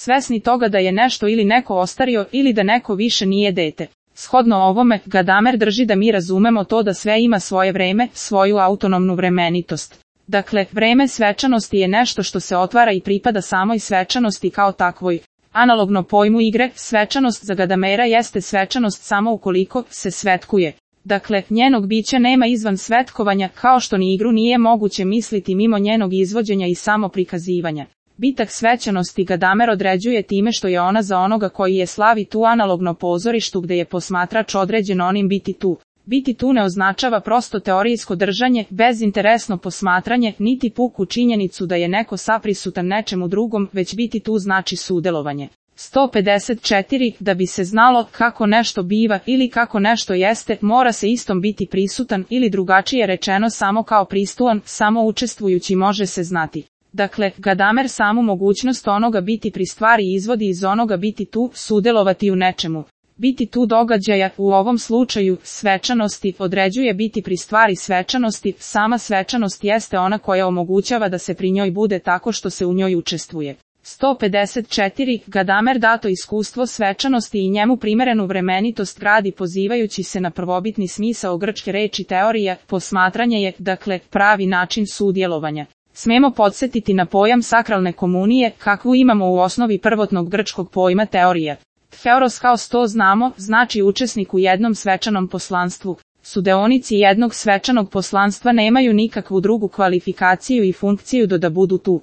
svesni toga da je nešto ili neko ostario ili da neko više nije dete. Shodno ovome, Gadamer drži da mi razumemo to da sve ima svoje vreme, svoju autonomnu vremenitost. Dakle, vreme svečanosti je nešto što se otvara i pripada samoj svečanosti kao takvoj. Analogno pojmu igre, svečanost za Gadamera jeste svečanost samo ukoliko se svetkuje. Dakle, njenog bića nema izvan svetkovanja, kao što ni igru nije moguće misliti mimo njenog izvođenja i samoprikazivanja. Bitak svečanosti Gadamer određuje time što je ona za onoga koji je slavi tu analogno pozorištu gde je posmatrač određen onim biti tu. Biti tu ne označava prosto teorijsko držanje, bezinteresno posmatranje, niti puku činjenicu da je neko saprisutan nečemu drugom, već biti tu znači sudelovanje. 154. Da bi se znalo kako nešto biva ili kako nešto jeste, mora se istom biti prisutan ili drugačije rečeno samo kao pristuan, samo učestvujući može se znati. Dakle, Gadamer samu mogućnost onoga biti pri stvari izvodi iz onoga biti tu, sudelovati u nečemu. Biti tu događaja, u ovom slučaju, svečanosti, određuje biti pri stvari svečanosti, sama svečanost jeste ona koja omogućava da se pri njoj bude tako što se u njoj učestvuje. 154. Gadamer dato iskustvo svečanosti i njemu primerenu vremenitost gradi pozivajući se na prvobitni smisao grčke reči teorija, posmatranje je, dakle, pravi način sudjelovanja. Smemo podsjetiti na pojam sakralne komunije, kakvu imamo u osnovi prvotnog grčkog pojma teorija. Theoros kao sto znamo, znači učesnik u jednom svečanom poslanstvu. Sudeonici jednog svečanog poslanstva nemaju nikakvu drugu kvalifikaciju i funkciju do da budu tu.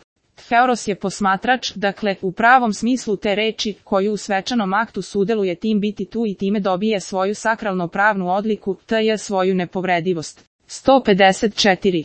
Theoros je posmatrač, dakle, u pravom smislu te reči, koju u svečanom aktu sudeluje tim biti tu i time dobije svoju sakralno pravnu odliku, tj. svoju nepovredivost. 154.